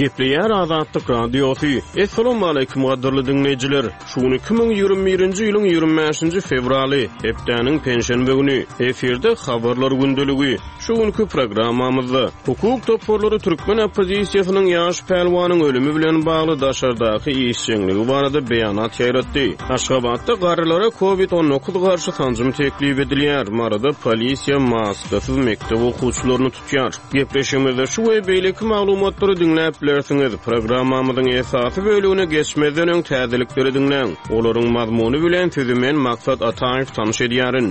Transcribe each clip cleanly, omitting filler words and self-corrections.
Gepleýär Azatlyk Radiosy. Assalamualaikum gadyrly diňleýjiler. Şu gün 2021-nji ýylyň 25-nji fewraly, hepdäniň penşenbe güni. Efirde habarlar gündeligi. Şu günki programmamyzda hukuk toparlary türkmen oppozisiýasynyň ýaş pälwanyň ölümi bilen bagly daşardaky işjeňligi barada beýanat ýaýratdy. Aşgabatda garrylara Covid 19 garşy sanjym teklip edilýär. Maryda polisiýa maskasyz mekdep okuwçylaryny tutýar. Gepleşigimizde şu we beýleki maglumatlary diňläp bilersiňiz. Programmamyzyň esasy bölegine geçmezden öň täzelikleri diňläň. Olaryň mazmuny bilen sizi men Maksat Ataýew tanyş edýärin.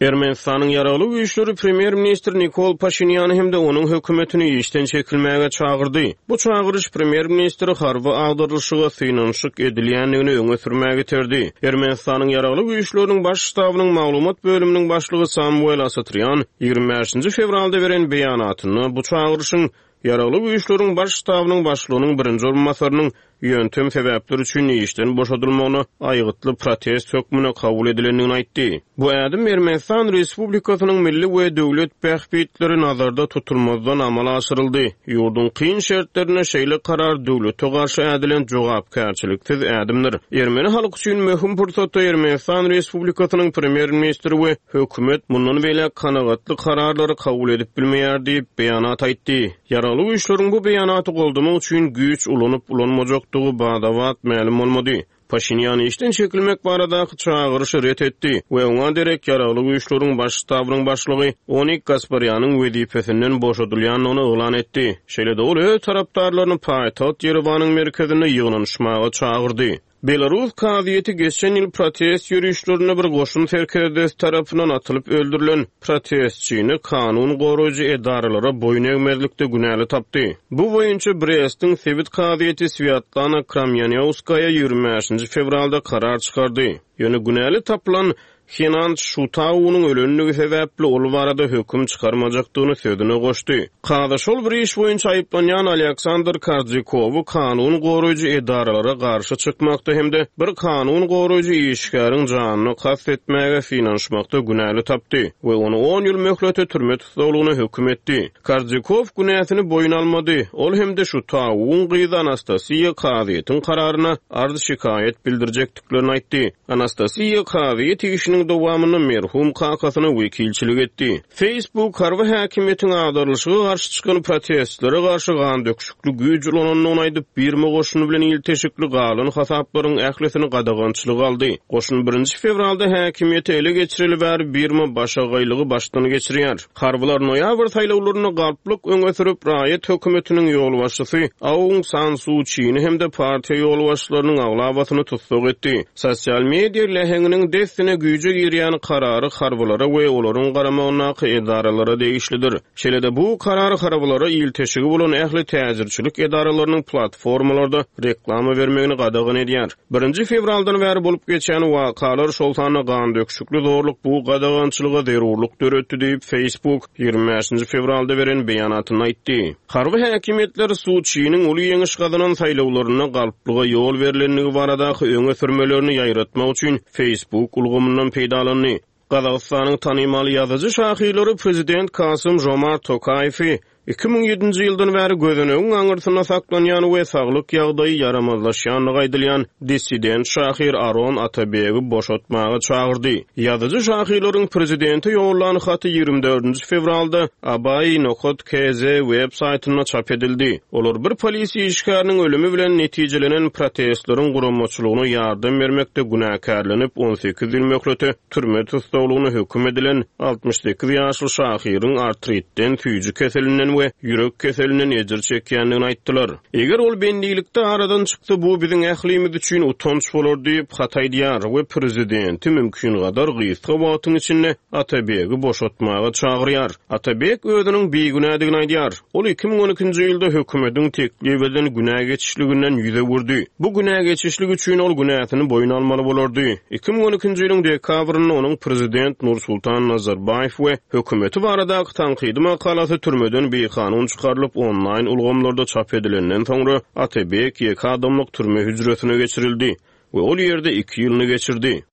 Ermenistanyň Ýaragly güýçleri premýer-ministr Nikol Paşinýany hem-de onuň hökümetini işden çekilmäge çagyrdy. Bu çagyryş premýer-ministri harby agdarylyşyga synanyşyk edilýändigini öňe sürmäge iterdi. Ermenistanyň Ýaragly güýçleriniň Baş ştabynyň maglumat bölüminiň başlygy Samwel Asatrýan 25-nji fewralda beren beýanatynda bu çagyryşyň Ýaragly Güýçleriň Baş ştabynyň başlygynyň birinji orunbasarynyň ýöntem sebäpler üçin işden boşadylmagyna aýgytly protest hökmünde kabul edilendigini aýtdy. Bu ädim Ermenistan Respublikasynyň milli we döwlet bähbitleri nazarda tutulmazdan amala aşyryldy. Ýurduň kyn şertlerinde şeýle karar döwlete garşy ädilen jogapkärçiliksiz ädimdir. Ermeni halky üçin möhüm pursatda Ermenistan Respublikasynyň Premýer-ministri we Hökümet mundan beýläk kanagatly kararlary kabul edip bilmeýär diýip, beýanat aýtdy. Ýaragly güýçleriň bu beýanaty goldamak üçin güýç ulanyp-ulanmajakdygy bada-bat mälim bolmady. Paşinýan işden çekilmek baradaky çagyryşy ret etdi we oňa derek Ýaragly güýçleriň Baş ştabynyň başlygy Onik Gasparýanyň wezipesinden boşadylýandygyny yglan etdi. Şeýle-de ol öz tarapdarlaryny paýtagt Ýerewanyň merkezinde ýygnanyşmaga çagyrdy. Belarus kazyýeti geçen ýyl protest ýörişlerinde bir goşun serkerdesi tarapyndan atylyp öldürilen protestçini kanun goraýjy edaralara boýun egmezlikde günäli tapdy. Bu boýunça Brestiň sebit kazyýeti Swýatlana Kramýanýowskaýa 25-nji fewralda karar çykardy. Ýöne günäli tapylan Henan Şutaunyň ölendigi sebäpli ol barada höküm çykarmajakdygyny sözüne goşdy. Kazy şol bir iş boýunça aýyplanýan Alýaksandr Karzikowy kanun goraýjy edaralara garşy çykmakda hem-de bir kanun goraýjy işgäriň janyna kast etmäge synanyşmakda günäli tapdy we ony on ýyl möhlete türme tussaglygyna höküm etdi. Karzikow günäsini boýun almady. Ol hem-de Şutauwyň gyzy Anastasiýa kazyýetiň kararyna arz-şikaýat bildirjekdiklerini aýtdy. Anastasiýa kazyýet işiniň dowamynda merhum kakasyna wekilçilik etdi. Facebook harby häkimiýetiň agdarylyşyga garşy çykan protestlere garşy gandöküşikli güýç ulanandygyny aýdyp, Birma goşuny bilen ilteşikli galan hasaplaryň ählisini gadagançylyga aldy. Goşun birinji fewralda häkimiýeti ele geçireli bäri Birma başagaýlygy başdan geçirýär. Harbylar noýabr saýlawlarynda galplyk öňe sürüp, raýat hökümetiniň ýolbaşçysy Aung San Su Çini hem-de partiýa ýolbaşçylarynyň aglabasyny tussag etdi. Sosial media läheňiniň dessine güýje girýän karary harbylara we olaryň garamagyndaky edaralara degişlidir. Şeýle-de bu karar harbylara ilteşigi bolan ähli täjirçilik edaralarynyň platformalarda reklama bermegini gadagan edýär. Birinji fewraldan bäri bolup geçýän wakalar, şol sanda gandöküşikli zorluk bu gadagançylyga zerurlyk döretdi diýip, Facebook 25-nji fewralda beren beýanatynda aýtdy. Harby häkimiýetler Su Çiniň uly ýeňiş gazanan saýlawlarynda galplyga ýol berlendigi baradaky öňe sürmelerini ýaýratmak üçin Facebook ulgamyndan peýdalandy. Gazagystanyň tanymal ýazyjy-şahyrlary prezident Kasym-Žomart Tokaýewi 2007-nji ýyldan bäri gözenegiň aňyrsynda saklanýan we saglyk ýagdaýy ýaramazlaşýandygy aýdylýan dissident şahyr Aron Atabegi boşatmaga çagyrdy. Ýazyjy-şahyrlaryň prezidente ýollan haty 24-nji fewralda Abai nokat KZ web saýtynda çap edildi. Olar bir polisiýa işgäriniň ölümi bilen netijelenen protestleriň guramaçylygyna ýardam bermekde günäkärlenip, 18 ýyl möhlete türme tussaglygyna höküm edilen 68 ýaşly şahyryň artritden, süýji keselinden we ýürek keselinden ejir çekýändigini aýtdylar. Eger ol bendilikde aradan çyksa, bu biziň ählimiz üçin utanç bolar diýip, hat aýdýar we prezidenti mümkingadar gysga wagtyň içinde Atabegi boşatmaga çagyrýar. Atabek özüniň bigünädigini aýdýar. Ol 2012-nji ýylda hökümetiň teklip eden günä geçişliginden ýüz öwürdi. Bu günä geçişlik üçin ol günäsini boýun almaly bolardy. 2012-nji ýylyň dekabrynda onuň prezident Nursultan Nazarbaýew we hökümeti baradaky tankydy makalasy türmeden bikanun çykarylyp, onlaýn ulgamlarda çap edilenden soňra Atabek ýeke adamlyk türme hüjresine geçirildi we ol ýerde iki ýylyny geçirdi.